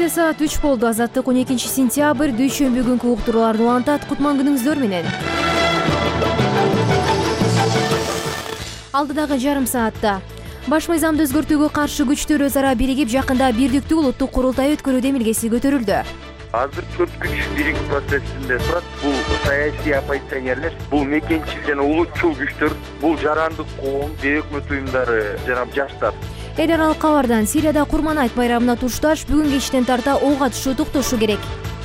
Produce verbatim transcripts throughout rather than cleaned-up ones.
Кечээ саат үч болду. Азаттык он экинчи сентябрь дүйшөмбү күнкү уктурууларды улантат. Кутман күнүңүздөр менен. Алдыдагы жарым саатта баш мыйзамды өзгөртүүгө каршы күчтөр өз ара биригип, жакында бирдиктүү улуттук курултай өткөрүү демилгеси көтөрүлдү. Азыр төрт күч бирик процессинде турат. Бул саясий оппозиционерлер, бул мекенчил жана улутчул күчтөр, бул жарандык коом, өкмөт уюмдары жана жаштар. Эл аралык кабардан Сирияда Курман айт байрамына тушташ бүгүн кечтен тарта ок атышуу токтошу керек.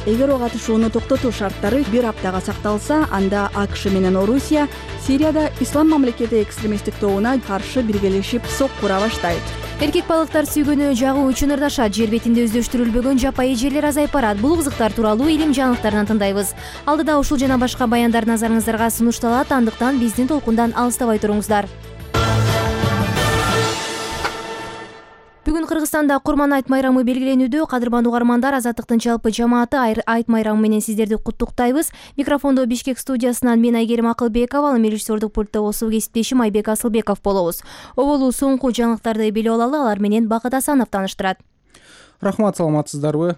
Эгер ок атышууну токтотуу шарттары бир аптага сакталса, анда АКШ менен Орусия Сирияда Ислам мамлекети экстремисттик тобуна каршы биргелешип сок кура баштайт. Эркек балыктар сүйгөнү жагуу үчүн ырдашат. Жер бетинде өздөштүрүлбөгөн жапайы жерлер азайып барат. Бул кызыктар тууралуу илим жаңылыктарынан тындайбыз. Алдыда ушул жана башка баяндар назарыңыздарга сунушталат. Андыктан биздин толкундан алыстабай туруңуздар. Бүгүн Кыргызстанда Курман айт майрамы белгиленүүдө. Кадырман угармандар, Азаттыктын жалпы жамааты айт майрамы менен сиздерди куттуктайбыз. Микрофондо Бишкек студиясынан мен Айгерим Акылбекова, ал эми режиссердук пультта болсо кесиптешим Айбек Асылбеков болобуз. Оболу соңку жаңылыктарды билип алалы, алар менен Бакыт Асанов тааныштырат. Рахмат, саламатсыздарбы?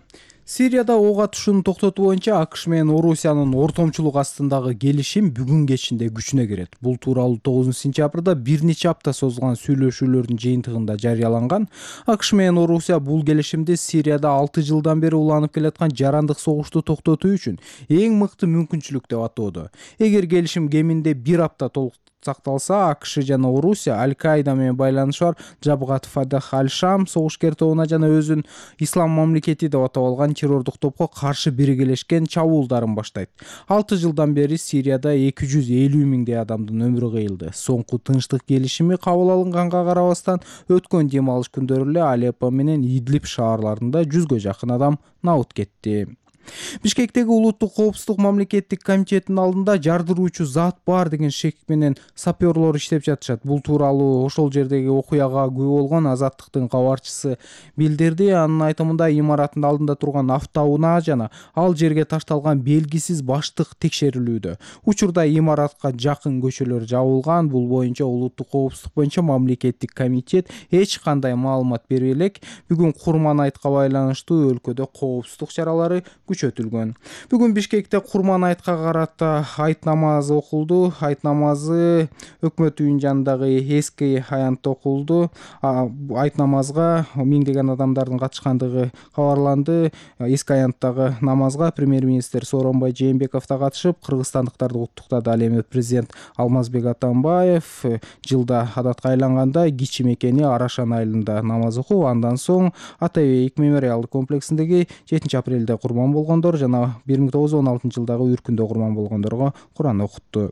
Сирияда ок атышууну токтотуу боюнча АКШ менен Орусиянын ортомчулук астындагы келишим бүгүн кечинде күчүнө кирет. Бул тууралуу тогузунчу сентябрда бир нече апта созулган сүйлөшүүлөрдүн жыйынтыгында жарыяланган. АКШ менен Орусия бул келишимди Сирияда алты жылдан бери уланып келаткан жарандык согушту токтотуу үчүн эң мыкты мүмкүнчүлүк деп атоодо. Эгер келишим кеминде бир апта толук сакталса, АКШ жана Орусия Аль-Каида менен байланышы бар Жабгат Фатах аль-Шам согушкер тобуна жана өзүн Ислам мамлекети деп атап алган террордук топко каршы биргелешкен чабуулдарын баштайт. алты жылдан бери Сирияда эки жүз элүү миңдей адамдын өмүрү кыйылды. Соңку тынчтык келишими кабыл алынганга карабастан, өткөн дем алыш күндөрү эле Алеппо менен Идлиб шаарларында жүзгө жакын адам набыт кетти. Бишкектеги улуттук коопсуздук мамлекеттик комитетинин алдында жардыруучу зат бар деген шек менен саперлор иштеп жатышат. Бул тууралуу ошол жердеги окуяга күбө болгон Азаттыктын кабарчысы билдирди. Анын айтымында имараттын алдында турган автоунаа жана ал жерге ташталган белгисиз баштык текшерилүүдө. Учурда имаратка жакын көчөлөр жабылган. Бул боюнча улуттук коопсуздук боюнча мамлекеттик комитет эч кандай маалымат бербей элек. Бүгүн Курман айтка байланыштуу өлкөдө коопсуздук чаралары күчөтүлгөн. Бүгүн Бишкекте Курман айтка карата айт намазы окулду. Айт намазы өкмөт үйүнүн жанындагы эски аянтта окулду. Айт намазга миңдеген адамдардын катышкандыгы кабарланды. Эски аянттагы намазга премьер-министр Сооронбай Жээнбеков да катышып, кыргызстандыктарды куттуктады. Ал эми президент Алмазбек Атамбаев жылда адатка айланганда Кичи мекени Арашан айылында намаз окуп, андан соң Ата бейик мемориалдык комплексиндеги жетинчи апрелде курман болгондор жана бир миң тогуз жүз он алтынчы жылдагы үркүндө курман болгондорго Куран окутту.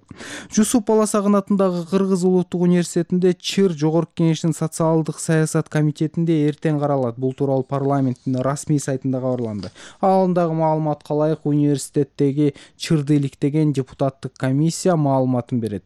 Жусуп Баласагын атындагы Кыргыз улуттук университетинде ЧЫР Жогорку кеңештин социалдык саясат комитетинде эртең каралат. Бул тууралуу парламенттин расмий сайтында кабарланды. Алдагы маалыматка ылайык, университеттеги ЧЫРды иликтеген депутаттык комиссия маалыматын берет.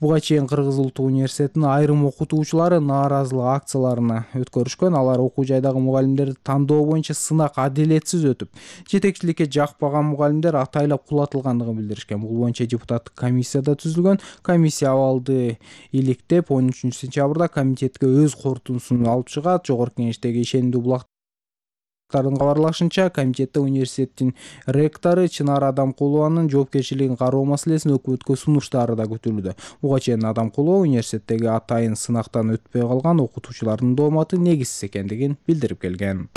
Буга чейин Кыргыз улуттук университетинин айрым окутуучулары нааразылык акцияларына өткөрүшкөн. Алар окуу жайдагы мугалимдерди тандоо боюнча сынак адилетсиз өтүп, жетекчиликке жакпаган мугалимдер атайлап кулатылгандыгын билдиришкен. Бул боюнча депутаттык комиссияда түзүлгөн. Комиссия абалды иликтеп, он үчүнчү сентябрда комитетке өз корутундусун алып чыгат. Жогорку кеңештеги ишенимдүү булактардын кабарлашынча, комитетте университеттин ректору Чынар Адамкулованын жоопкерчилигин кароо маселесин өкмөткө сунуштары да күтүлүүдө. Буга чейин Адамкулова университеттеги атайын сынактан өтпөй калган окутуучулардын дооматы негизсиз экендигин билдирип келген.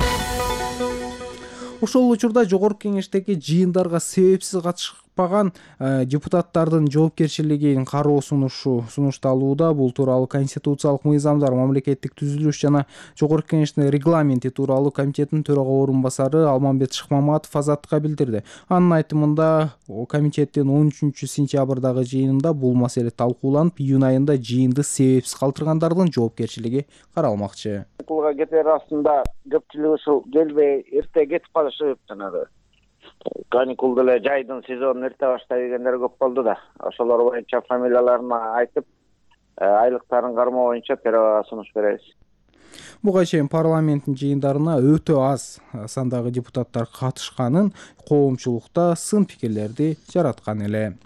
Ошол учурда жогорку кеңештеги жыйындарга себепсиз катышпаган депутаттардын жоопкерчилигин кароо сунушу сунушталууда. Бул тууралуу конституциялык мыйзамдар, мамлекеттик түзүлүш жана жогорку кеңештин регламенти тууралуу комитеттин төрага орун басары Алмамбет Шыкмаматов Азаттыкка билдирди. Анын айтымында комитеттин он үчүнчү сентябрдагы жыйынында бул маселе талкууланып, июнь айында жыйынды себепсиз калтыргандардын жоопкерчилиги каралмакчы. Окууга кетер астында көпчүлүгү ушул келбей эрте кетип калышып, жанагы каникул деле жайдын сезонун эрте баштай дегендер көп болду да. Ошолор боюнча фамилияларын айтып, айлыктарын кармоо боюнча төрага сунуш беребиз. Буга чейин парламенттин жыйындарына өтө аз сандагы депутаттар катышканын, коомчулукта сын пикирлерди жараткан эле.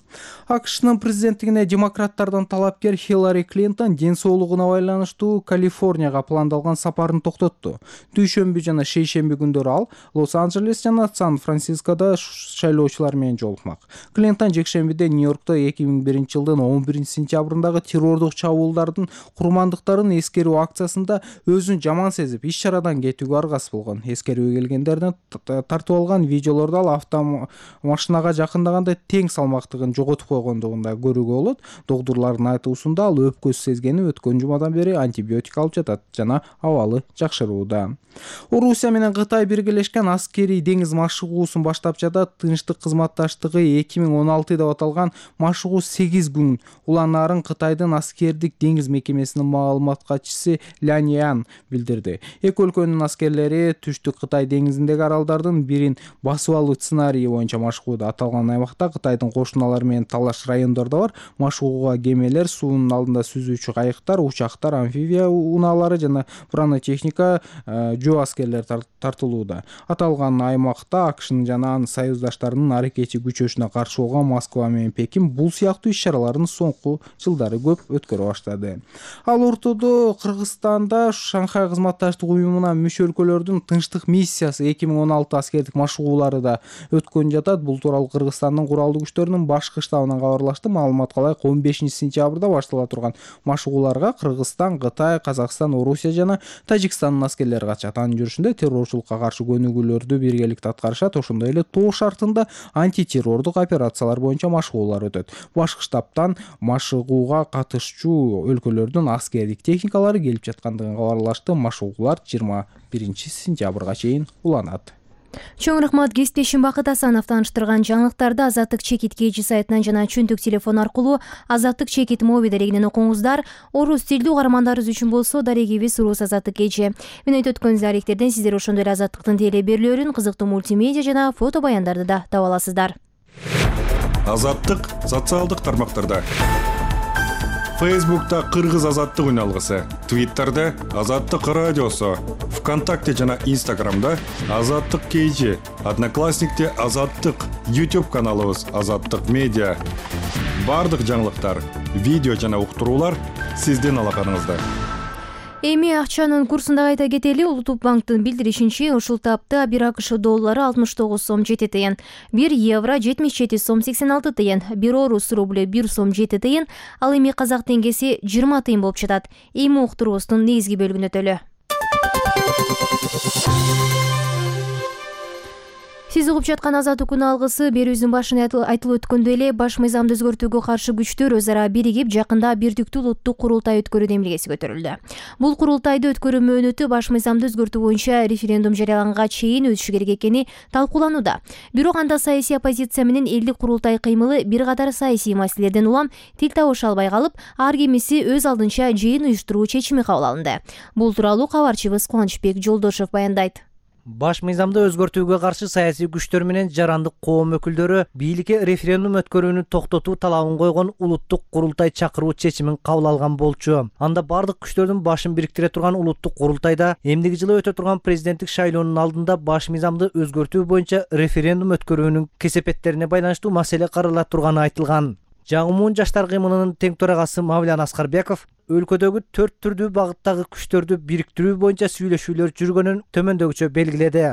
акшнын президенттигине демократтардан талапкер Хиллари Клинтон ден соолугуна байланыштуу Калифорнияга пландалган сапарын токтотту. Дүйшөмбү жана шейшемби күндөрү ал Лос-Анджелес жана Сан-Францискодо шайлоочулар менен жолукмак. Клинтон жекшембиде Нью-Йоркто эки миң биринчи жылдын он биринчи сентябрындагы террордук чабуулдардын курмандыктарын эскерүү акциясында өзүн жаман сезип, иш чарадан кетүүгө аргасыз болгон. Эскерүүгө келгендердин тартып алган видеолордо ал автомашинага жакындаганда тең салмактыгын жоготуп койгондугун да көрүүгө болот. Доктурлардын айтуусунда ал өпкөсү сезгени өткөн жумадан бери антибиотик алып жатат жана абалы жакшырууда. Орусия менен Кытай биргелешкен аскерий деңиз машыгуусун баштап жатат. Тынчтык кызматташтыгы эки миң он алты деп аталган машыгуу сегиз күн уланаарын Кытайдын аскердик деңиз мекемесинин маалымат катчысы Лян Ян билдирди. Эки өлкөнүн аскерлери Түштүк Кытай деңизиндеги аралдардын бирин басып алуу сценарийи боюнча машыгууда. Аталган аймакта Кытайдын кошуналары менен талаш райондордо бар. Машыгууга кемелер, суунун алдында сүзүүчү кайыктар, учактар, амфибия унаалары жана бронетехника жөө аскерлер тартылууда. Аталган аймакта акшнын жана анын союздаштарынын аракети күчөшүнө каршы болгон Москва менен Пекин бул сыяктуу иш-чараларын соңку жылдары көп өткөрө баштады. Ал ортодо Кыргызстанда Шанхай кызматташтык уюмуна мүчө өлкөлөрдүн тынчтык миссиясы эки миң он алты аскердик машыгуулары да өткөн жатат. Бул тууралуу Кыргызстандын куралдуу күчтөрүнүн башкы штабынан кабарлашты. Маалыматка ылайык он бешинчи сентябрда баштала турган машыгууларга Кыргызстан, Кытай, Казакстан, Орусия жана Тажикстандын аскерлери катышат. Анын жүрүшүндө террорчулукка каршы көнүгүүлөрдү биргеликте аткарышат. Ошондой эле тоо шартында антитеррордук операциялар боюнча машыгуулар өтөт. Башкы штабтан машыгууга катышчу өлкөлөрдүн аскердик техникалары келип жаткандыгын кабарлашты. Машыгуулар жыйырма биринчи сентябрга чейин уланат. Чоң рахмат кесиптешим Бакыт Асанов тааныштырган жаңылыктарды Азаттык чекит кж сайтынан жана чөнтүк телефон аркылуу Азаттык чекит моби дарегинен окуңуздар. Орус тилдүү угармандарыбыз үчүн болсо дарегибиз Урус Азаттык кж. Менен өткөн даректерден сиздер ошондой эле Азаттыктын теле берүүлөрүн, кызыктуу мультимедиа жана фото баяндарды да таба аласыздар. Азаттык социалдык тармактарда. Фейсбукта Кыргыз Азаттык үналгысы, Твиттерде Азаттык радиосу, ВКонтакте жана Инстаграмда Азаттык кж, Одноклассникте Азаттык, YouTube каналыбыз Азаттык медиа. Бардык жаңылыктар, видео жана уктуруулар сиздин алаканыңызда. Эми акчанын курсун да айта кетели. Улуттук банктын билдиришинче, ушул тапта бир АКШ доллары алтымыш тогуз сом жети тыйын, бир евро жетимиш жети сом сексен алты тыйын, бир орус рубль бир сом жети тыйын, ал эми казак теңгеси жыйырма тыйын болуп жатат. Эми уктуруубуздун негизги бөлүгүнө өтөлү. Сиз угуп жаткан Азаттык күн алгысы берүүбүздүн башында айтылып өткөндөй эле баш мыйзамды өзгөртүүгө каршы күчтөр өз ара биригип жакында бирдиктүү улуттук курултай өткөрүү демилгеси көтөрүлдү. Бул курултайды өткөрүү мөөнөтү баш мыйзамды өзгөртүү боюнча референдум жарыяланганга чейин өтүшү керек экени талкууланууда. Бирок анда саясий оппозиция менен элдик курултай кыймылы бир катар саясий маселелерден улам тил табыша албай калып, ар кимиси өз алдынча жыйын уюштуруу чечими кабыл алынды. Бул тууралуу кабарчыбыз Кубанычбек Жолдошев баяндайт. Баш мыйзамды өзгөртүүгө каршы саясий күчтөр менен жарандык коом өкүлдөрү бийликке референдум өткөрүүнү токтотуу талабын койгон улуттук курултай чакыруу чечимин кабыл алган болчу. Анда бардык күчтөрдүн башын бириктире турган улуттук курултайда эмдиги жылы өтө турган президенттик шайлоонун алдында баш мыйзамды өзгөртүү боюнча референдум өткөрүүнүн кесепеттерине байланыштуу маселе карала турганы айтылган. Жагымун жаштар кыймылынын тең төрагасы Мавлян Аскарбеков өлкөдөгү төрт түрдүү багыттагы күчтөрдү бириктирүү боюнча сүйлөшүүлөр жүргөнүн төмөндөгүчө белгиледи.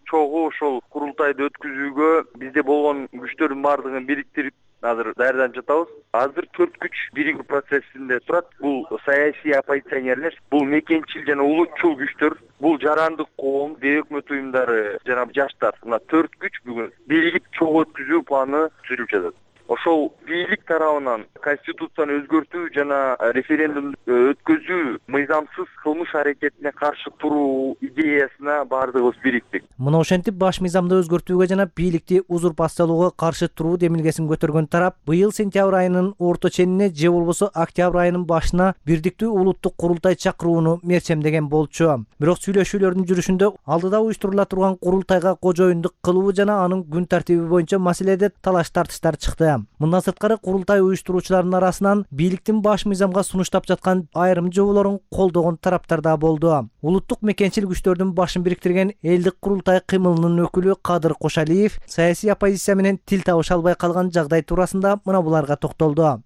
Чогуу ушул курултайды өткөзүүгө бизде болгон күчтөрдүн баардыгын бириктирип азыр даярданып жатабыз. Азыр төрт күч биригүү процессинде турат. Бул саясий оппозиционерлер, бул мекенчил жана улутчул күчтөр, бул жарандык коом, бейөкмөт уюмдары жана жаштар. Мына төрт күч бүгүн биригип чогуу өткөзүү планы түзүлүп жатат. Ошол бийлик тарабынан конституцияны өзгөртүү жана референдум өткөзүү мыйзамсыз кылмыш аракетине каршы туруу идеясына баардыгыбыз бириктик. Мына ошентип баш мыйзамды өзгөртүүгө жана бийликти узурпациялоого каршы туруу демилгесин көтөргөн тарап быйыл сентябрь айынын орто ченине же болбосо октябрь айынын башына бирдиктүү улуттук курултай чакырууну мерчемдеген болчу. Бирок сүйлөшүүлөрдүн жүрүшүндө алдыда уюштурула турган курултайга кожоюндук кылуу жана анын күн тартиби боюнча маселеде талаш тартыштар чыкты. Мындан сырткары курултай уюштуруучулардын арасынан бийликтин баш мыйзамга сунуштап жаткан айрым жоболорун колдогон тараптар да болду. Улуттук мекенчил күчтөрдүн башын бириктирген элдик курултай кыймылынын өкүлү Кадыр Кошалиев саясий оппозиция менен тил табыша албай калган жагдай туурасында мына буларга токтолду.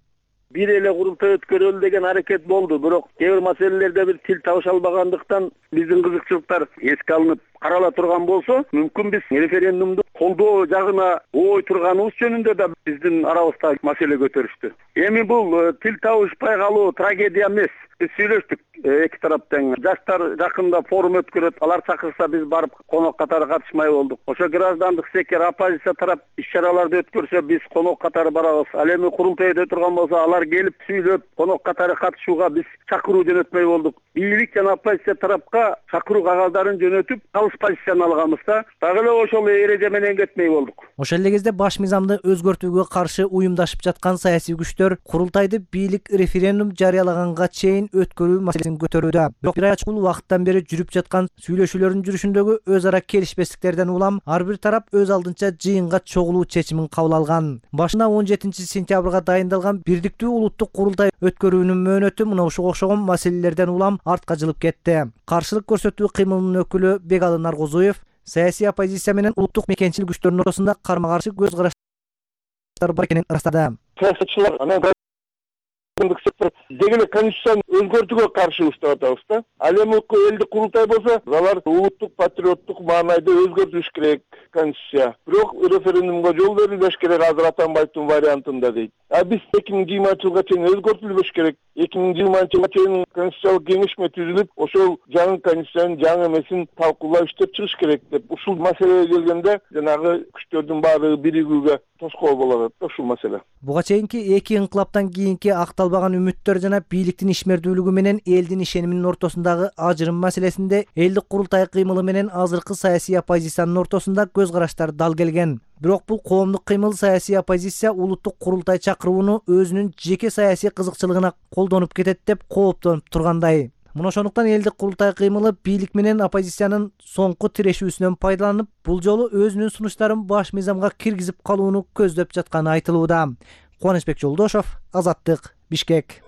Бир эле курултай өткөрөлү деген аракет болду, бирок кээ бир маселелерде бир тил табыша албагандыктан биздин кызыкчылыктар эске алынып карала турган болсо, мүмкүн биз референдумду колдоо жагына ой турганыбыз жөнүндө да биздин арабызда маселе көтөрүштү. Эми бул тил табышпай калуу трагедия эмес. Биз сүйлөштүк эки тараптан. Жаштар жакында форум өткөрөт, алар чакырса биз барып конок катары катышмай болдук. Ошо граждандык сектор, оппозиция тарап иш-чараларды өткөрсө биз конок катары барабыз. Ал эми курултайда турган болсо алар келип сүйлөп конок катары катышууга биз чакыруу жөнөтмөй болдук. Бийлик жана оппозиция тарапка чакыруу кагаздарын жөнөтүп, калыс позицияны алганбыз да. Дагы эле ошол эреже менен кетмей болдук. Ошол эле кезде баш мыйзамды өзгөртүүгө каршы уюмдашып жаткан саясий күчтөр курултайды бийлик референдум жарыялаганга чейин өткөрүү маселесин көтөрүүдө. Бирок бир айга чукул убакыттан бери жүрүп жаткан сүйлөшүүлөрдүн жүрүшүндөгү өз ара келишпестиктерден улам ар бир тарап өз алдынча жыйынга чогулуу чечимин кабыл алган. Башында он жетинчи сентябрга дайындалган бирдиктүү улуттук курултай өткөрүүнүн мөөнөтү мына ушуга окшогон маселелерден улам артка жылып кетти. Каршылык көрсөтүү кыймылынын өкүлү Бегалы Наргозуев саясий оппозиция менен улуттук мекенчил күчтөрдүн ортосунда карма каршы көз караштар бар экенин ырастады. Саясатчылар анан деги эле конституцияны өзгөртүүгө каршыбыз деп атабыз да. Ал эми элдик курултай болсо, алар улуттук патриоттук маанайда өзгөртүш керек конституция. Бирок референдумга жол берилбеш керек азыр Атамбаевдин вариантында дейт. А биз эки миң жыйырманчы жылга чейин өзгөртүлбөш керек. эки миң жыйырманчы жылга чейин конституциялык кеңешме түзүлүп, ошол жаңы конституциянын жаңы эмесин талкуулап иштеп чыгыш керек деп. Ушул маселеге келгенде жанагы күчтөрдүн баары биригүүгө тоскоол болот ушул маселе. Буга чейинки эки инкылаптан кийинки акталбаган үмүттөр жана бийликтин ишмердүүлүгү менен элдин ишениминин ортосундагы ажырым маселесинде элдик курултай кыймылы менен азыркы саясий оппозициянын ортосунда көз караштар дал келген. Бирок бул коомдук кыймыл саясий оппозиция улуттук курултай чакырууну өзүнүн жеке саясий кызыкчылыгына колдонуп кетет деп кооптонуп тургандай. Мына ошондуктан элдик курултай кыймылы бийлик менен оппозициянын соңку тирешүүсүнөн пайдаланып, бул жолу өзүнүн сунуштарын баш мыйзамга киргизип калууну көздөп жатканы айтылууда. Кубанычбек Жолдошов, Азаттык, Бишкек.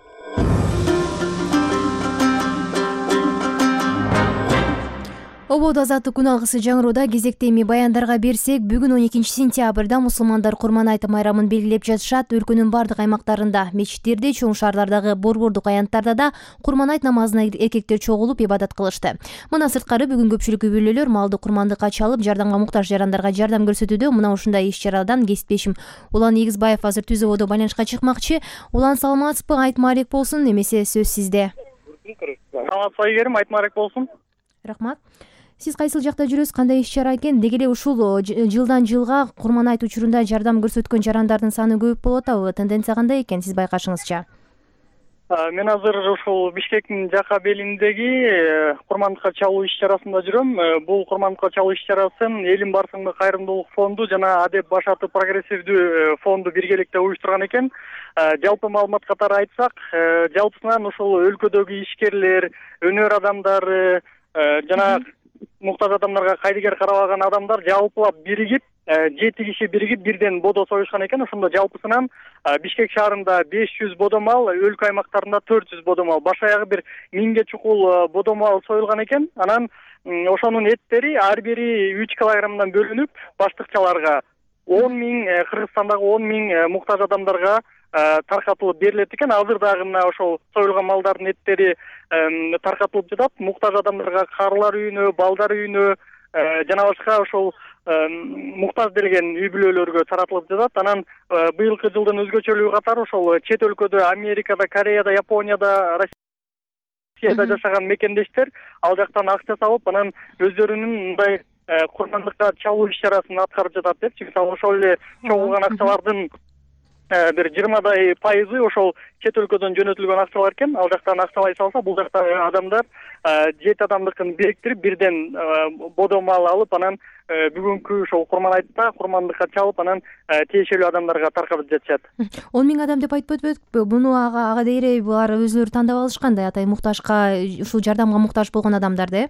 Ободо азаттык күн алгысы жаңырууда кезекте эми баяндарга берсек, бүгүн он экинчи сентябрда мусулмандар Курман айт майрамын белгилеп жатышат. Өлкөнүн бардык аймактарында, мечиттерде, чоң шаарлардагы борбордук аянттарда да Курман айт намазына эркектер чогулуп ибадат кылышты. Мына сырткары бүгүн көпчүлүк үй бүлөлөр малды курмандыкка чалып, жардамга муктаж жарандарга жардам көрсөтүүдө. Мына ушундай иш-чарадан кесиптешим Улан Эгизбаев азыр түз ободо байланышка чыкмакчы. Улан, саламатсызбы? Айт маалек болсун, эмесе сөз сизде. Саламатсызбы Айгерим, айт маалек болсун. Рахмат. Сиз кайсыл жакта жүрөсүз, кандай иш-чара экен? Деги эле ушул жылдан жылга Курман айт учурунда жардам көрсөткөн жарандардын саны көбөйүп болуп атабы? Тенденция кандай экен сиз байкашыңызча? Мен азыр ушул Бишкектин жака белиндеги курмандыкка чалуу иш-чарасында жүрөм. Бул курмандыкка чалуу иш-чарасын Элим Барсыңдык кайрымдуулук фонду жана Адеп Башаты прогрессивдүү фонду биргеликте уюштурган экен. Жалпы маалымат катары айтсак, жалпысынан ушул өлкөдөгү ишкерлер, өнөр адамдары жана муктаж адамдарга кайдыгер карабаган адамдар жалпылап биригип, жети киши биригип бирден бодо союшкан экен. Ошондо жалпысынан Бишкек шаарында беш жүз бодомал, өлкө аймактарында төрт жүз бодомал, баш аягы бир миңге чукул бодомал союлган экен. Анан ошонун эттери ар бири үч килограммдан бөлүнүп, баштыкчаларга он миң, Кыргызстандагы он миң муктаж адамдарга таркатылып берилет экен. Азыр дагы мына ошол союлган малдардын эттери таркатылып жатат. Муктаж адамдарга карылар үйүнө, балдар үйүнө жана башка ошол муктаж делген үй бүлөлөргө таратылып жатат. Анан быйылкы жылдын өзгөчөлүгү катары ошол чет өлкөдө, Америкада, Кореяда, Японияда, Россияда жашаган мекендештер ал жактан акча салып, анан өздөрүнүн мындай курмандыкка чалуу иш-чарасын аткарып жатат депчи. Мисалы ошол эле чогулган акчалардын бир жыйырмадай пайызы ошол чет өлкөдөн жөнөтүлгөн акчалар экен. Ал жактан акчалай салса, бул жакта адамдар жети адамдыкын бириктирип, бирден бодомал алып, анан бүгүнкү ошол Курман айтта курмандыкка чалып, анан тиешелүү адамдарга таркатып жатышат. он миң адам деп айтып өтпөдүкпү? Буну ага ага дейре булар өзүлөрү тандап алышкандай, атай муктажга, ушул жардамга муктаж болгон адамдарды, э?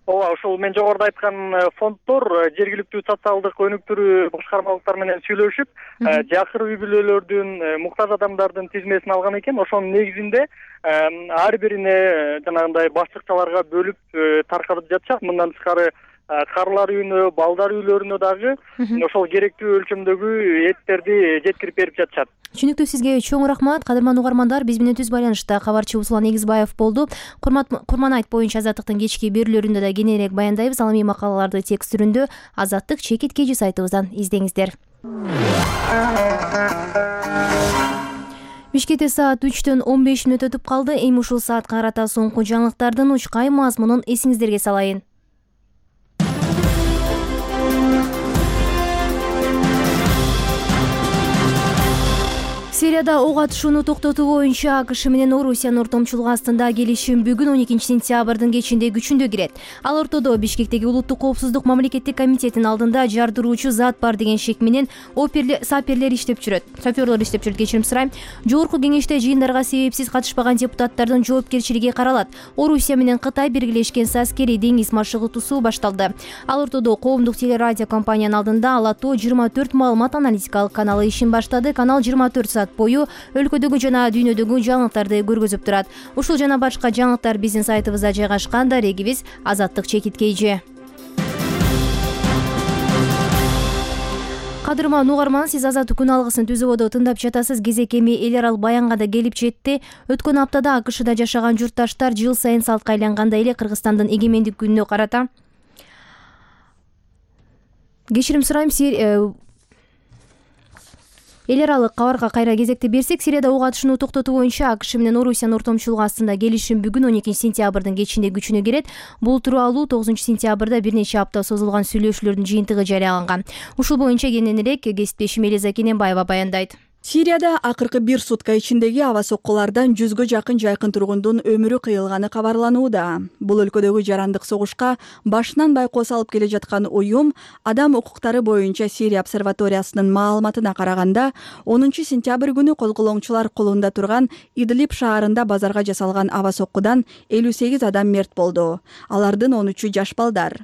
ооба, ушул мен жогоруда айткан фонддор жергиликтүү социалдык өнүктүрүү башкармалыктары менен сүйлөшүп, жакыр үй бүлөлөрдүн, муктаж адамдардын тизмесин алган экен. Ошонун негизинде ар бирине жанагындай башчыкчаларга бөлүп таркатып жатышат. Мындан тышкары карылар үйүнө, балдар үйлөрүнө дагы ошол керектүү өлчөмдөгү эттерди жеткирип берип жатышат. Түшүнүктүү, сизге чоң рахмат. Кадырман угармандар, биз менен түз байланышта кабарчы Усулан Эгизбаев болду. Курман айт боюнча Азаттыктын кечки берүүлөрүндө да кененирээк баяндайбыз. Ал эми макалаларды текст түрүндө Азаттык чекит кежи сайтыбыздан издеңиздер. Бишкекте саат үчтөн он беш мүнөт өтүп калды. Эми ушул саатка карата соңку жаңылыктардын учкай мазмунун эсиңиздерге салайын. Сирияда ок атышууну токтотуу боюнча АКШ менен Орусиянын ортомчулугу астында келишим бүгүн он экинчи сентябрдын кечинде күчүндө кирет. Ал ортодо Бишкектеги Улуттук коопсуздук мамлекеттик комитетинин алдында жардыруучу зат бар деген шек менен саперлер иштеп жүрөт. Шофёрлор иштеп жүрөт, кечирим сурайм. Жогорку кеңеште жыйындарга себепсиз катышпаган депутаттардын жоопкерчилиги каралат. Орусия менен Кытай биргелешкен аскерий деңиз маршрутусу башталды. Ал ортодо коомдук телерадио компаниянын алдында Алатоо жыйырма төрт маалымат аналитикалык каналы ишин баштады. Канал жыйырма төрт саат бою өлкөдөгү жана дүйнөдөгү жаңылыктарды көргөзүп турат. Ушул жана башка жаңылыктар биздин сайтыбызда жайгашкан. Дарегибиз Азаттык чекит кейжи. Кадырман угарман, сиз Азаттык күн алгысын түзүүбөдө тыңдап жатасыз. Кезек эми эл арал Баянга да келип жетти. Өткөн аптада АКШда жашаган журтташтар жыл сайын салтка айлангандай эле Кыргызстандын эгемендик күнүнө карата кечирим сурайм эл аралык кабарга кайра кезекти берсек, Сирияда ок атышууну токтотуу боюнча АКШ менен Орусиянын ортомчулугу астында келишим бүгүн он экинчи сентябрдын кечинде күчүнө кирет. Бул тууралуу тогузунчу сентябрда бир нече апта созулган сүйлөшүүлөрдүн жыйынтыгы жарыяланган. Ушул боюнча кененирээк кесиптешим Элиза Кененбаева баяндайт. Сирияда акыркы бир сутка ичиндеги аба соккулардан жүзгө жакын жайкын тургундун өмүрү кыйылганы кабарланууда. Бул өлкөдөгү жарандык согушка башынан байкоо салып келе жаткан уюм Адам укуктары боюнча Сирия обсерваториясынын маалыматына караганда, онунчу сентябрь күнү козголоңчулар колунда турган Идлиб шаарында базарга жасалган аба соккудан элүү сегиз адам мерт болду. Алардын он үчү жаш балдар.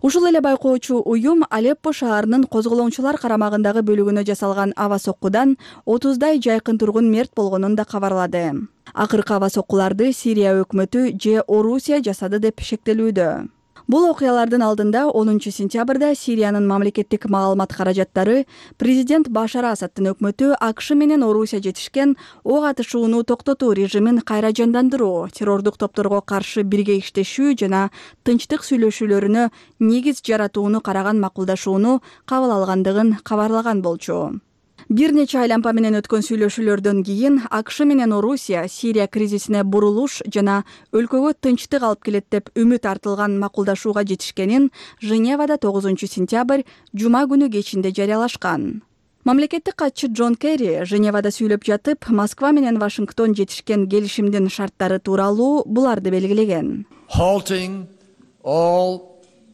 Ушул эле байкоочу уюм Алеппо шаарынын козголоңчулар карамагындагы бөлүгүнө жасалган аба соккудан отуздай жайкын тургун мерт болгонун да кабарлады. Акыркы аба соккуларды Сирия өкмөтү же Орусия жасады деп шектелүүдө. Бул окуялардын алдында онунчу сентябрда Сириянын мамлекеттик маалымат каражаттары президент Башар Асадтын өкмөтү АКШ менен Орусия жетишкен ок атышууну токтотуу режимин кайра жандандыруу, террордук топторго каршы бирге иштешүү жана тынчтык сүйлөшүүлөрүнө негиз жаратууну караган макулдашууну кабыл алгандыгын кабарлаган болчу. Бир нече айлампа менен өткөн сүйлөшүүлөрдөн кийин АКШ менен Орусия Сирия кризисине бурулуш жана өлкөгө тынчтык алып келет деп үмүт артылган макулдашууга жетишкенин Женевада тогузунчу сентябрь жума күнү кечинде жарыялашкан. Мамлекеттик катчы Джон Керри Женевада сүйлөп жатып, Москва менен Вашингтон жетишкен келишимдин шарттары тууралуу буларды белгилеген.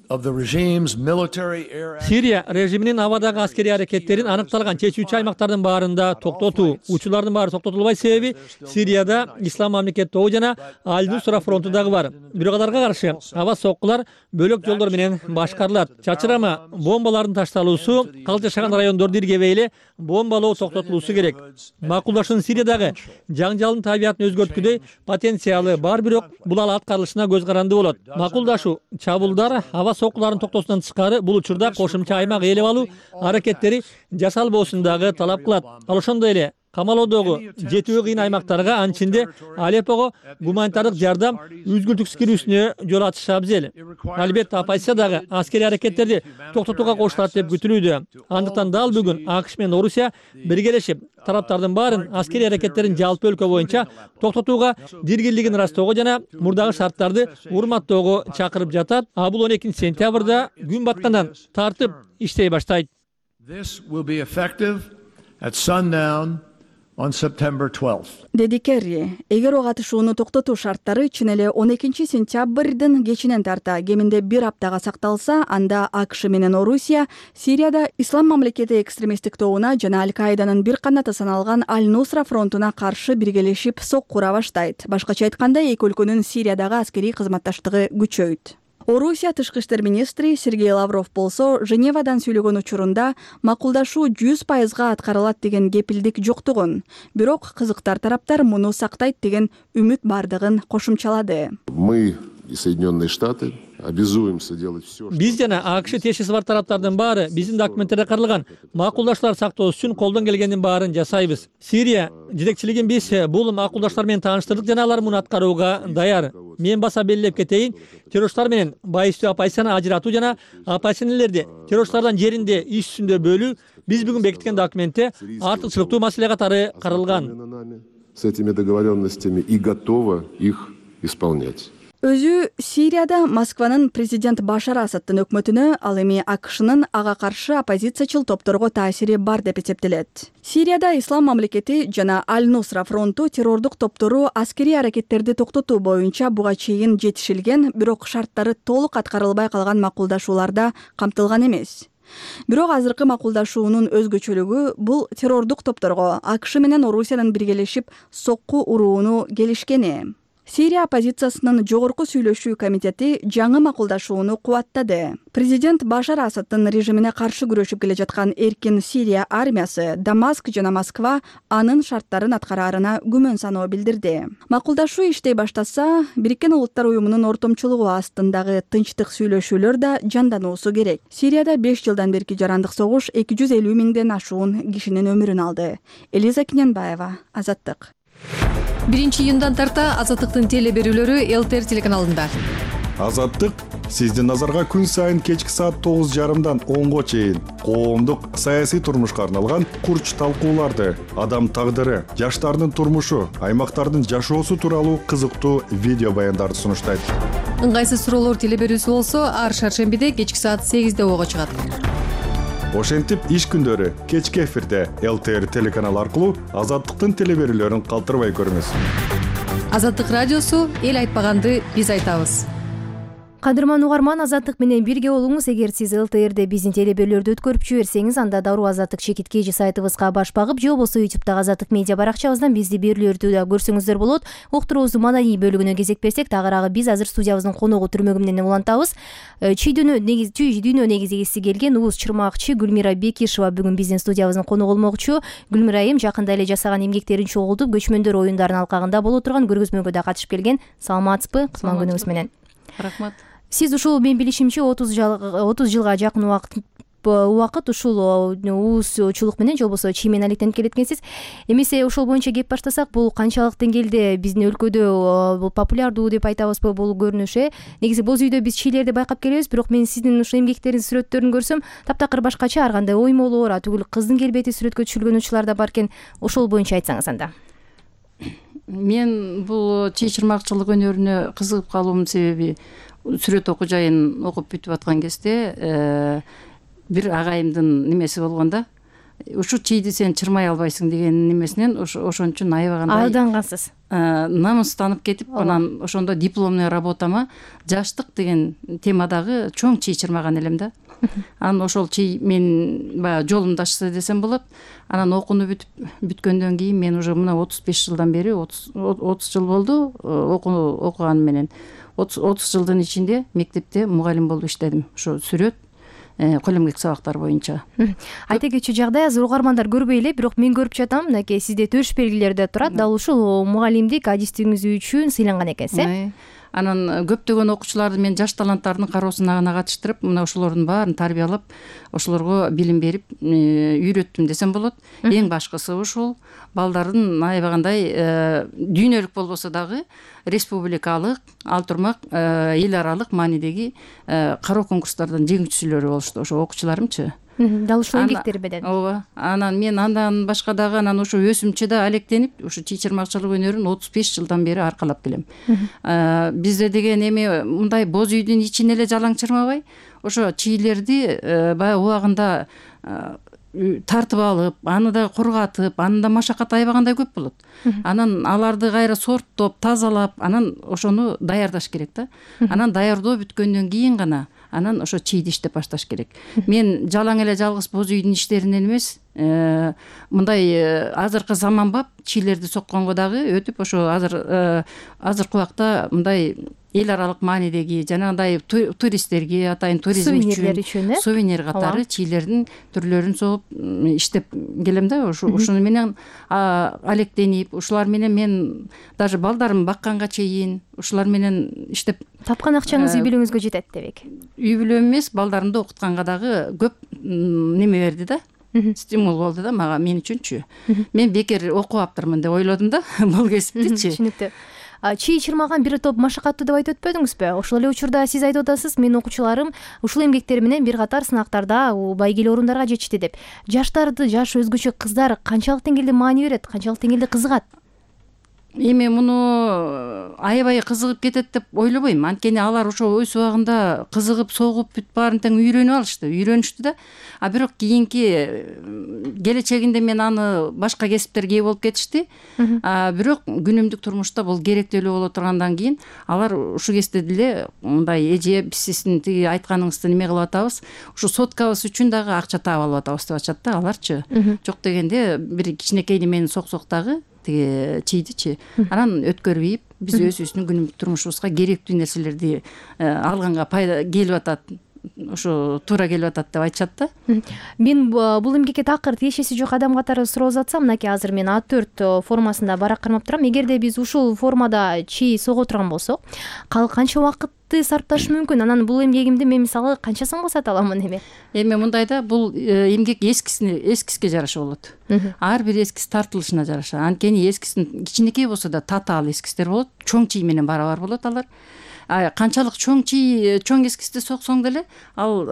Сирия режиминин абадагы аскерий аракеттерин аныкталган чечүүчү аймактардын баарында токтотуу. Учурлардын баары токтотулбай, себеби Сирияда Ислам мамлекет тобу жана Аль-Нусра фронту дагы бар. Бирок аларга каршы аба соккулар бөлөк жолдор менен башкарылат. Чачырама бомбалардын ташталуусу, калк жашаган райондорду иргебей эле бомбалоо токтотулуусу керек. Макулдашуунун Сириядагы жаңжалдын табиятын өзгөрткүдөй потенциалы бар, бирок бул ал аткарылышына көз каранды болот. Макулдашуу, чабуулдар, аба соккулардын токтоосунан тышкары бул учурда кошумча аймак ээлеп алуу аракеттери жасалбоосун дагы талап кылат. Ал ошондой эле камалоодогу жетүү кыйын аймактарга, анчинде Алеппого гуманитардык жардам үзгүлтүксүз кирүүсүнө жол ачышы абзел. Албетте оппозиция дагы аскерий аракеттерди токтотууга кошулат деп күтүлүүдө. Андыктан дал бүгүн АКШ менен Орусия биргелешип тараптардын баарын аскерий аракеттерин жалпы өлкө боюнча токтотууга диргирлигин ырастоого жана мурдагы шарттарды урматтоого чакырып жатат. А бул он экинчи сентябрда күн баткандан тартып иштей баштайт. On September twelfth. Деди Керри, эгер ок атышууну токтотуу шарттары чын эле он экинчи сентябрдын кечинен тарта кеминде бир аптага сакталса, анда АКШ менен Орусия Сирияда Ислам мамлекети экстремисттик тобуна жана Аль-Каиданын бир канаты саналган Аль-Нусра фронтуна каршы биргелешип соккура баштайт. Башкача айтканда, эки өлкөнүн Сириядагы аскерий кызматташтыгы күчөйт. Орусия тышкы иштер министри Сергей Лавров болсо Женевадан сүйлөгөн учурунда макулдашуу жүз пайызга аткарылат деген кепилдик жоктугун, бирок кызыктар тараптар муну сактайт деген үмүт бардыгын кошумчалады. Мы и Соединенные Штаты обязуемся делать все. Биз жана АКШ тиешеси бар тараптардын баары биздин документтерде каралган макулдаштуулар сактоо үчүн колдон келгендин баарын жасайбыз. Сирия жетекчилигин биз бул макулдаштуулар менен тааныштырдык жана алар муну аткарууга даяр. Мен баса белгилеп кетейин, террористтар менен байыстуу оппозицияны ажыратуу жана оппозиционерлерди террористтардан жеринде иш үстүндө бөлүү биз бүгүн бекиткен документте артыкчылыктуу маселе катары каралган. С этими договоренностями и готова их исполнять. Өзү Сирияда Москванын президент Башар Асадтын өкмөтүнө, ал эми АКШнын ага каршы оппозициячыл топторго таасири бар деп эсептелет. Сирияда Ислам мамлекети жана Аль-Нусра фронту террордук топтору аскерий аракеттерди токтотуу боюнча буга чейин жетишилген, бирок шарттары толук аткарылбай калган макулдашууларда камтылган эмес. Бирок азыркы макулдашуунун өзгөчөлүгү бул террордук топторго АКШ менен Орусиянын биргелешип сокку урууну келишкени. Сирия оппозициясынын жогорку сүйлөшүү комитети жаңы макулдашууну кубаттады. Президент Башар Асадтын режимине каршы күрөшүп келе жаткан эркин Сирия армиясы Дамаск жана Москва анын шарттарын аткараарына күмөн саноо билдирди. Макулдашуу иштей баштаса, Бириккен Улуттар уюмунун ортомчулугу астындагы тынчтык сүйлөшүүлөр да жандануусу керек. Сирияда беш жылдан берки жарандык согуш эки жүз элүү миңден ашуун кишинин өмүрүн алды. Элиза Киненбаева, Азаттык. биринчи июндан тарта Азаттыктын теле берүүлөрү ЛТР телеканалында. Азаттык сиздин назарга күн сайын кечки саат тогуз жарымдан онго чейин коомдук саясий турмушка арналган курч талкууларды, адам тагдыры, жаштардын турмушу, аймактардын жашоосу тууралуу кызыктуу видео баяндарды сунуштайт. Ыңгайсыз суроолор теле берүүсү болсо ар шаршембиде кечки саат сегизде ого чыгат. Ошентип иш күндөрү кечки эфирде ЛТР телеканалы аркылуу Азаттыктын теле берүүлөрүн калтырбай көрүңүз. Азаттык радиосу эл айтпаганды биз айтабыз. Кадырман угарман, Азаттык менен бирге болуңуз. Эгер сиз ЛТРде биздин теле берүүлөрдү өткөрүп жиберсеңиз, анда дароо Азаттык чекит кж сайтыбызга баш багып, же болбосо ютубтагы Азаттык медиа баракчабыздан бизди берүүлөрдү да көрсөңүздөр болот. Уктуруубуздун маданий бөлүгүнө кезек берсек, тагыраагы биз азыр студиябыздын коногу түрмөгү менен улантабыз. Чүйдөнү негиз чүйдөнү негизгиси келген уус чырмакчы Гүлмира Бекишева бүгүн биздин студиябыздын коногу болмокчу. Гүлмира айым жакында эле жасаган эмгектерин чогултуп, көчмөндөр оюндарынын алкагында боло турган көргөзмөгө да катышып келген. Саламатсызбы? Кутман күнүңүз менен. Рахмат. Сиз ушул мен билишимче отуз жылга жакын убакыт убакыт ушул уусчулук менен же болбосо чиймен алектенип келет экенсиз. Эмесе ошол боюнча кеп баштасак, бул канчалык деңгээлде биздин өлкөдө бул популярдуу деп айтабызбы бул көрүнүш э? Негизи боз үйдө биз чийлерди байкап келебиз, бирок мен сиздин ушул эмгектердин сүрөттөрүн көрсөм, таптакыр башкача, ар кандай оймолор, атүгүл кыздын келбети сүрөткө түшүрүлгөн учурлар да бар экен. Ошол боюнча айтсаңыз анда. Мен бул чий чырмакчылык өнөрүнө кызыгып калуумдун себеби сүрөт окуу жайын окуп бүтүп аткан кезде бир агайымдын немеси болгонда, ушу чийди сен чырмай албайсың деген немесинен ошон үчүн аябагандай алдангансыз. Намыстанып кетип, анан ошондо дипломный работама жаштык деген темадагы чоң чий чырмаган элем да. Анан ошол чий мен баягы жолумду ачты десем болот. Анан окууну бүтүп бүткөндөн кийин мен уже мына отуз беш жылдан бери отуз жыл болду окуганым менен. отуз жылдын ичинде мектепте мугалим болуп иштедим. Ошо сүрөт, кол эмгек сабактары боюнча. Айта кетчү жагдай, азыр угармандар көрбөй эле, бирок мен көрүп жатам, мынакей сизде төш белгилери да турат. Дал ушул мугалимдик адистигиңиз үчүн сыйланган экенсиз, э? Анан көптөгөн окуучуларды мен жаш таланттардын кароосуна катыштырып, мына ошолордун баарын тарбиялап, ошолорго билим берип, үйрөттүм десем болот. Эң башкысы ушул балдардын аябагандай дүйнөлүк болбосо дагы республикалык, ал турмак эл аралык маанидеги кароо конкурстардан жеңүүчүлөрү болушту, ошо окуучуларымчы. Дал ушул эмгектери менен. Ооба. Анан мен андан башка дагы анан ошо өсүмчө да алектенип, ушу чий чырмакчылык өнөрүн отуз беш жылдан бери аркалап келем. Бизде деген эме мындай боз үйдүн ичине эле жалаң чырмабай, ошо чийлерди баягы убагында тартып алып, аны да кургатып, анын да машакаты аябагандай көп болот. Анан аларды кайра сорттоп, тазалап, анан ошону даярдаш керек да. Анан даярдоо бүткөндөн кийин гана анан ошо чийди иштеп башташ керек. Мен жалаң эле жалгыз боз үйдүн иштеринен эмес, мындай азыркы заманбап чийлерди сокконго дагы өтүп, ошо азыр азыркы убакта мындай эл аралык маанидеги жанагындай туристтерге атайын туризм үчүн сувенир катары чийлердин түрлөрүн согуп иштеп келем да. Ушу ушуну менен алектенип, ушулар менен мен даже балдарымды бакканга чейин ушулар менен иштеп тапкан акчаңыз үй бүлөңүзгө жетет дебек. Үй бүлөм эмес, балдарымды окутканга дагы көп неме берди да. Стимул болду да мага, мен үчүнчү. Мен бекер окуп аптырмын деп ойлодум да бул кесиптичи. Түшүнүктүү. Чий чырмаган бир топ машакаттуу деп айтып өтпөдүңүзбү? Ошол эле учурда сиз айтып атасыз, менин окуучуларым ушул эмгектери менен бир катар сынактарда байгелүү орундарга жетишти деп. Жаштарды, жаш өзгөчө кыздар канчалык деңгээлде маани берет, канчалык деңгээлде кызыгат? Эми муну аябай кызыгып кетет деп ойлобойм. Анткени алар ошо өз убагында кызыгып, согуп бүт баарын тең үйрөнүп алышты, үйрөнүштү да. А бирок кийинки келечегинде мен аны башка кесиптерге ээ болуп кетишти. А бирок күнүмдүк турмушта бул керектүү эле боло тургандан кийин алар ушу кезде деле мындай эже биз сиздин тиги айтканыңызды неме кылып атабыз, ушу соткабыз үчүн дагы акча таап алып атабыз деп атышат да аларчы. Жок дегенде бир кичинекей немени соксок дагы тиги чийдичи. Анан өткөрүп биз өзүбүздүн күнүмдүк турмушубузга керектүү нерселерди алганга пайда келип атат. Ошо туура келип атат деп айтышат да. Мен бул эмгекке такыр тиешеси жок адам катары суроо затсам, мынакей азыр мен А төрт формасында барак кармап турам. Эгерде биз ушул формада чий сого турган болсок, канча убакытты сарпташ мүмкүн? Анан бул эмгегимди мен мисалы канча сомго сата аламын эми? Эми мындай да, бул эмгек эскисине эскиске жараша болот. Ар бир эскис тартылышына жараша. Анткени эскисин кичинекей болсо да татаал эскистер болот, чоң чий менен барабар болот алар. Канчалык чоң чий, чоң эскисти соксоң деле, ал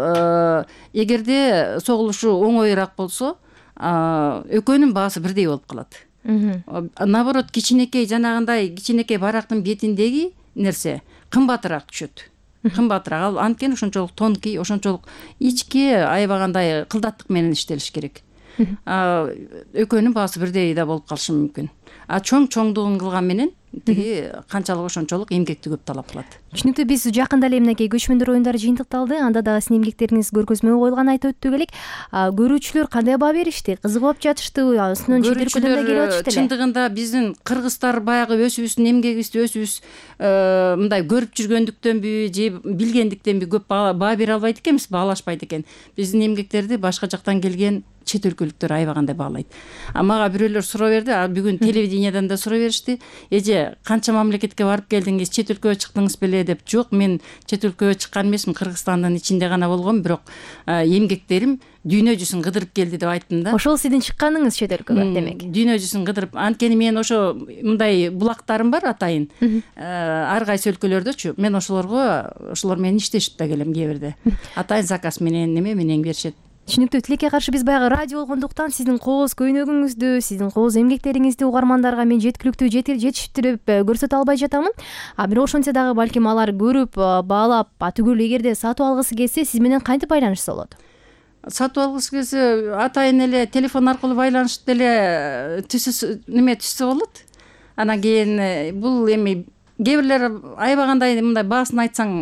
эгерде согулушу оңоюраак болсо, экөөнүн баасы бирдей болуп калат. Наоборот, кичинекей жанагындай кичинекей барактын бетиндеги нерсе кымбатыраак түшөт. Кымбатыраак. Ал анткени ошончолук тонкий, ошончолук ичке аябагандай кылдаттык менен иштелиш керек. Экөөнүн баасы бирдей да болуп калышы мүмкүн. А чоң чоңдугун кылган менен тиги канчалык ошончолук эмгекти көп талап кылат. Түшүнүктүү. Биз жакында эле мынакей көчмөндөр оюндары жыйынтыкталды. Анда дагы сиздин эмгектериңиз көргөзмөгө коюлган айтып өттүк элек. Көрүүчүлөр кандай баа беришти? Кызыгып жатышты? Үстүнөн чет өлкөдөн да келип атышты эле. Чындыгында биздин кыргыздар баягы өзүбүздүн эмгегибизди өзүбүз мындай көрүп жүргөндүктөнбү же билгендиктенби көп баа бере албайт экенбиз, баалашпайт экен. Биздин эмгектерди башка жактан келген чет өлкөлүктөр аябагандай баалайт. А мага бирөөлөр суроо берди, а бүгүн телевидениядан да суроо беришти. Эже, канча мамлекетке барып келдиңиз, чет өлкөгө чыктыңыз беле деп. Жок, мен чет өлкөгө чыккан эмесмин, Кыргызстандын ичинде гана болгом, бирок эмгектерим дүйнө жүзүн кыдырып келди деп айттым да. Ошол сиздин чыкканыңыз чет өлкөгө демек. Дүйнө жүзүн кыдырып, анткени мен ошо мындай булактарым бар атайын. Ар кайсы өлкөлөрдөчү. Мен ошолорго, ошолор менен иштешип да келем кээ бирде. Атайын заказ менен неме менен беришет. Түшүнүктүү. Тилекке каршы биз баягы радио болгондуктан сиздин кооз көйнөгүңүздү, сиздин кооз эмгектериңизди угармандарга мен жеткиликтүү жетиштирип көрсөтө албай жатамын. А бирок ошентсе дагы балким алар көрүп, баалап, түгүл эгерде сатып алгысы келсе, сиз менен кантип байланышса болот? Сатып алгысы келсе, атайын эле телефон аркылуу байланышып деле түсү неме түшсө болот. Анан кийин бул эми кээ бирлер аябагандай мындай баасын айтсаң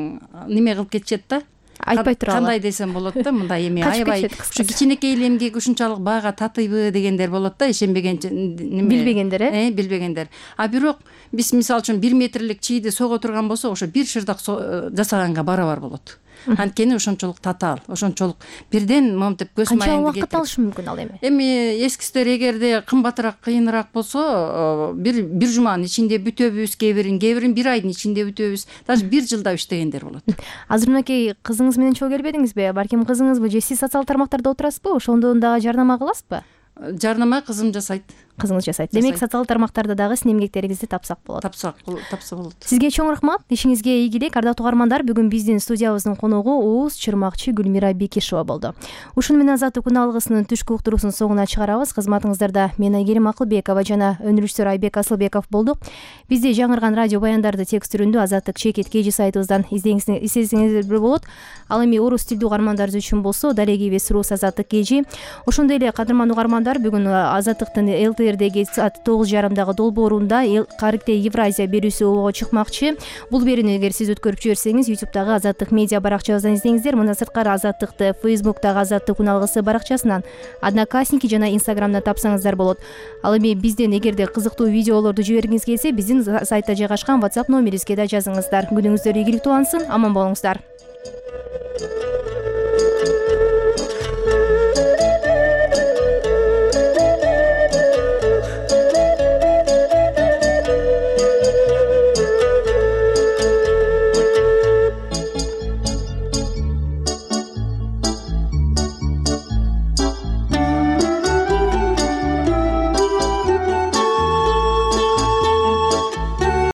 неме кылып кетишет да. Айтпай тура кандай десем болот да, мындай эми аябай ушу кичинекей эле эмгек ушунчалык баага татыйбы дегендер болот да, ишенбеген неме билбегендер, э? Э, билбегендер. А бирок биз мисалы үчүн бир метрлик чийди сого турган болсо, ошо бир шырдак жасаганга барабар болот. Анткени ошончолук татаал, ошончолук бирден момтеп көз майыңды кетирип. Канча убакыт алышы мүмкүн ал эми? Эми эскистер эгерде кымбатыраак, кыйыныраак болсо, бир бир жуманын ичинде бүтөбүз, кээ бирин, кээ бирин бир айдын ичинде бүтөбүз. Даже бир жылда иштегендер болот. Азыр мынакей кызыңыз менен чогуу келбедиңизби? Балким кызыңызбы же сиз социалдык тармактарда отурасызбы? Ошондон дагы жардама кыласызбы? Жардама кызым жасайт. Кызыңыз жасайт. Демек, социалдык тармактарда дагы сиздин эмгектериңизди тапсак болот. Тапсак, тапса болот. Сизге чоң рахмат. Ишиңизге ийгилик. Ардактуу угармандар, бүгүн биздин студиябыздын коногу ооз чырмакчы Гүлмира Бекишова болду. Ушуну менен Азаттык күн алгысынын түшкү уктуруусун соңуна чыгарабыз. Кызматыңыздарда мен Айгерим Акылбекова жана өнүрүштөр Айбек Асылбеков болдук. Бизде жаңырган радио баяндарды текст түрүндө Азаттык чекит кей жи сайтыбыздан издесеңиздер болот. Ал эми орус тилдүү угармандарыбыз үчүн болсо, далеги веб-рус Азаттык кей жи. Ошондой эле кадырман угармандар, бүгүн Азаттыктын эл ти РТРдеги саат тогуз жарымдагы долбоорунда Карикте Евразия берүүсү ого чыкмакчы. Бул берүүнү эгер сиз өткөрүп жиберсеңиз Ютубтагы Азаттык медиа баракчабыздан издеңиздер. Мындан сырткары Азаттыкты Фейсбуктагы Азаттык уналгысы баракчасынан, Одноклассники жана Инстаграмда тапсаңыздар болот. Ал эми бизден эгерде кызыктуу видеолорду жибергиңиз келсе, биздин сайтта жайгашкан WhatsApp номерибизге да жазыңыздар. Күнүңүздөр ийгиликтүү улансын, аман болуңуздар.